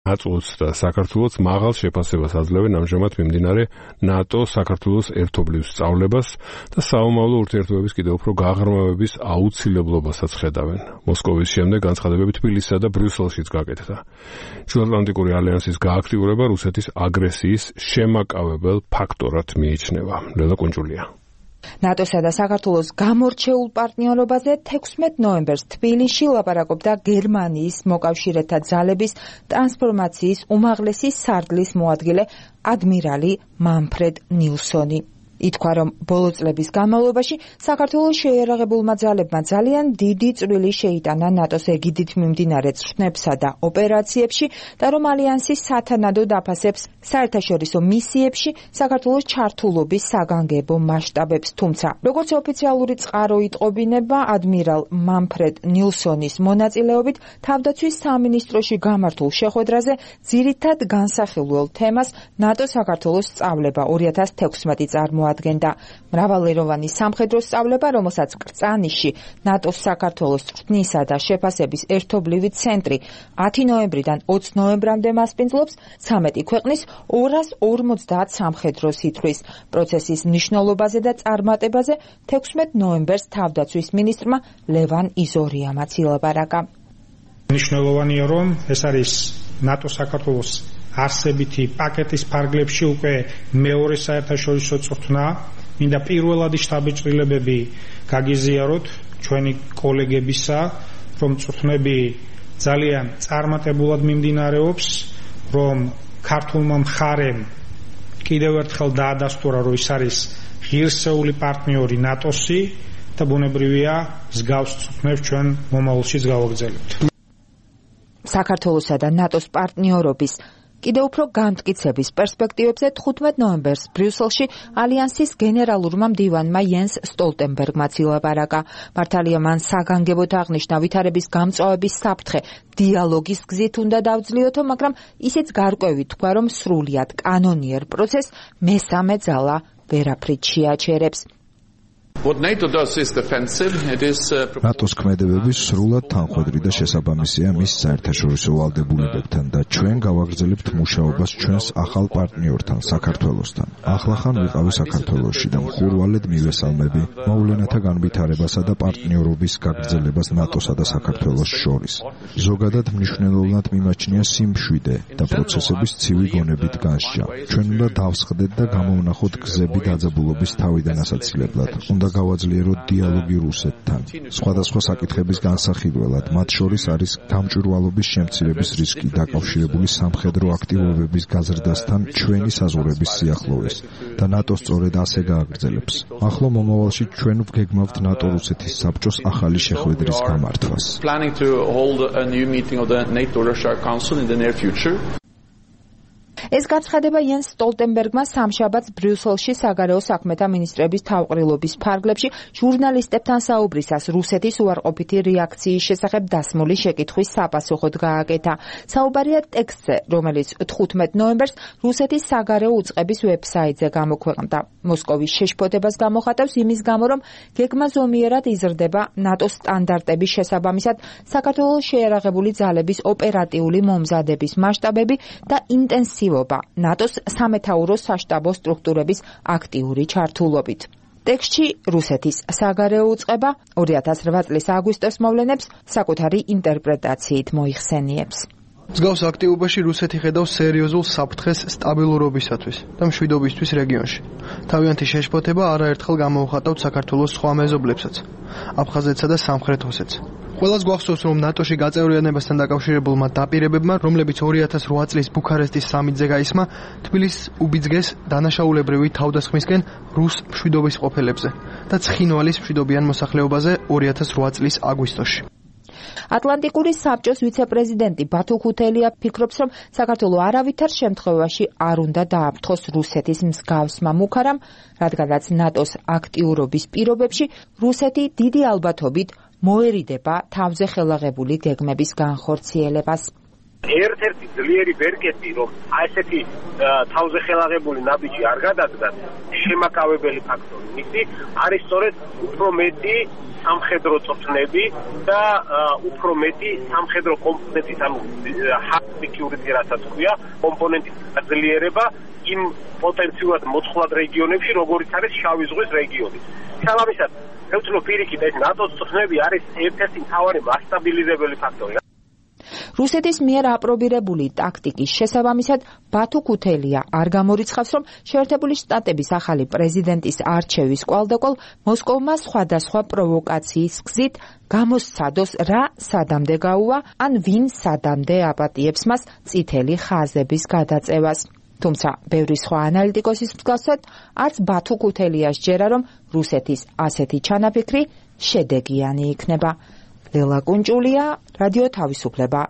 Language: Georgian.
აწუს და საქართველოს მაღალ შეფასებას აძლევენ ამჟამად მიმდინარე ნატო-საქართველოს ერთობლივ სწავლებას და საომავლო ურთიერთობების კიდევ უფრო გაღრმავების აუცილებლობასაც ხედავენ. მოსკოვის შემდეგ განცხადებები თბილისსა და ბრიუსელშიც გაკეთდა. ჩრდილოატლანტიკური ალიანსის გააქტიურება რუსეთის აგრესიის შემაკავებელ ფაქტორად მიიჩნევა. ლელა კუნჭულია. ნატოსა და საქართველოს გამორჩეულ პარტნიორობაზე 16 ნოემბერს თბილისში ლაპარაკობდა გერმანიის მოკავშირეთა ძალების ტრანსფორმაციის უმაღლესი სარდლის მოადგილე ადმირალი მანფრედ ნილსონი. ითქვა, რომ ბოლო წლების განმავლობაში საქართველოს შეიარაღებულმა ძალებმა ძალიან დიდი წვლილი შეიტანა ნატოს ეგიდით მიმდინარე წვრთნებსა და ოპერაციებში და რომ ალიანსის სათანადო დაფასებს საერთაშორისო მისიებში საქართველოს ჩართულობის საგანგებო მასშტაბებს, თუმცა როგორც ოფიციალური წყარო იტყობინება, ადმირალ მანფრედ ნილსონის მონაწილეობით თავდაცვის სამინისტროში გამართულ შეხვედრაზე ძირითად განსახილველ თემას ნატო-საქართველოს სწავლება 2016 წარმოადგენდა. მრავალეროვანი სამხედრო სწავლება, რომელსაც კრწანიშში ნატოს საქართველოს წვრთნისა და შეფასების ერთობლივი ცენტრი 10 ნოემბრიდან 20 ნოემბრამდე მასპინძლობს 13 ქვეყნის 250 სამხედროს ითვლის. პროცესის მნიშვნელობაზე და წარმატებაზე 16 ნოემბერს თავდაცვის მინისტრმა ლევან იზორიამაც ილაპარაკა. მნიშვნელოვანია, რომ ეს არის ნატო-საქართველოს არსებითი პაკეტის ფარგლებში უკვე მეორე საერთაშორისო წვრთნა. მინდა პირველადი შტაბ-ჭრილებები გაგიზიაროთ ჩვენი კოლეგებისა, რომ წვრთნები ძალიან წარმატებულად მიმდინარეობს, რომ ქართულმა მხარემ კიდევ ერთხელ დაადასტურა, რომ ის არის ღირსეული პარტნიორი ნატოსი და ბუნებრივია მსგავს წვრთნებს ჩვენ მომავალშიც გავაგრძელებთ. საქართველოსა და ნატოს პარტნიორობის კიდევ უფრო განმტკიცების პერსპექტივებზე 15 ნოემბერს ბრიუსელში ალიანსის გენერალურმა მდივანმა იენს სტოლტენბერგმაც ილაპარაკა. მართალია მან საგანგებოდ აღნიშნა ვითარების გამწვავების საფრთხე დიალოგის გზით უნდა დავძლიოთო, მაგრამ ისიც გარკვევით თქვა, რომ სრულიად კანონიერ პროცესს მესამე ძალა ვერაფრით შეაჩერებს. ნატოს ქმედებები სრულად თანხმედრი და შესაბამისია მის საერთაშორისო ვალდებულებებთან და ჩვენ გავაგრძელებთ მუშაობას ჩვენს ახალ პარტნიორთან საქართველოსთან. ახლახან ვიყავი საქართველოში და მხურვალედ მივესალმები მოვლენათა განვითარებასა და პარტნიორობის გაგრძელებას ნატოსა და საქართველოს შორის. ზოგადად მნიშვნელოვნად მიმაჩნია სიმშვიდე და პროცესების ცივი გონებით განსჯა. ჩვენ უნდა დავსხდეთ და გამოვნახოთ გზები დაძაბულობის თავიდან ასაცილებლად. უნდა გავაძლიეროთ დიალოგი რუსეთთან. სხვადასხვა საკითხების განსახილველად, მათ შორის არის გამჭვირვალობის შემცირების რისკი დაკავშირებული სამხედრო აქტივობების გაზრდასთან ჩვენი საზღვრების სიახლოვეს და ნატო სწორედ ასე გააგრძელებს. ახლო მომავალში ჩვენ ვგეგმავთ ნატო-რუსეთის საბჭოს ახალი შეხვედრის გამართვას. ეს გაცხადება იენს სტოლტენბერგმა სამშაბათს ბრიუსელში საგარეო საქმეთა მინისტრების თავყრილობის ფარგლებში ჟურნალისტებთან საუბრისას რუსეთის უარყოფითი რეაქციის შესახებ დასმული შეკითხვის საპასუხოდ გააკეთა. საუბარია ტექსტზე, რომელიც 15 ნოემბერს რუსეთის საგარეო უწყების ვებსაიტზე გამოქვეყნდა. მოსკოვის შეშფოთებას გამოხატავს იმის გამო, რომ გეგმა ზომიერად იზრდება ნატოს სტანდარტების შესაბამისად საქართველოს შეიარაღებული ძალების ოპერატიული მომზადების მასშტაბები და ინტენსივობა ნატოს სამეთაურო საშტაბო სტრუქტურების აქტიური ჩართულობით. ტექსტში რუსეთის საგარეო უწყება 2008 წლის აგვისტოს მოვლენებს საკუთარი ინტერპრეტაციით მოიხსენიებს. მსგავს აქტივობაში რუსეთი ხედავს სერიოზულ საფრთხეს სტაბილურობისათვის და მშვიდობისთვის რეგიონში. თავიანთი შეშფოთება არაერთხელ გამოუხატავთ საქართველოს სხვა მეზობლებსაც, აფხაზეთსა და სამხრეთ ოსეთს. ყველას გვახსოვს, რომ ნატოში გაწევრიანებასთან დაკავშირებულმა დაპირებებმა, რომლებიც 2008 წლის ბუქარესტის სამიტზე გაისმა, თბილისს უბიძგეს დანაშაულებრივი თავდასხმისკენ რუს მშვიდობის ყოფილებზე და ცხინვალის მშვიდობიან მოსახლეობაზე 2008 წლის აგვისტოში. ატლანტიკური საბჭოს ვიცე-პრეზიდენტი ბათუ ქუთელია ფიქრობს, რომ საქართველო არავითარ შემთხვევაში არ უნდა დააფრთხოს რუსეთის მსგავსმა მუქარამ, რადგანაც ნატოს აქტიურობის პირობებში რუსეთი დიდი ალბათობით მოერიდება თავზე ხელაღებული გეგმების განხორციელებას. ერთ-ერთი ძლიერი ბერკეტი, რომ ესეთი თავზე ხელაღებული ნაბიჯი არ გადადგას, შემაკავებელი ფაქტორი მისი არის სწორედ უფრო მეტი სამხედრო წვრთნები და უფრო მეტი სამხედრო კომპონენტის ანუ hard security რასაც ქვია კომპონენტის გაძლიერება იმ პოტენციურად მოწყვლად რეგიონებში როგორიც არის შავი ზღვის რეგიონი. შესაბამისად მე ვთვლი პირიქით ეს ნატოს წვრთნები არის ერთ-ერთი მთავარი მასტაბილიზებელი ფაქტორი. რუსეთის მიერ აპრობირებული ტაქტიკის შესაბამისად ბათუ ქუთელია არ გამორიცხავს, რომ შეერთებული შტატების ახალი პრეზიდენტის არჩევის კვალდაკვალ მოსკოვმა სხვადასხვა პროვოკაციის გზით გამოსცადოს რა სადამდე გაუვა, ან ვინ სადამდე აპატიებს მას წითელი ხაზების გადაწევას. თუმცა ბევრი სხვა ანალიტიკოსის მსგავსად არც ბათუ ქუთელიას ჯერა, რომ რუსეთის ასეთი ჩანაფიქრი შედეგიანი იქნება. ლელა კუნჭულია, რადიო თავისუფლება.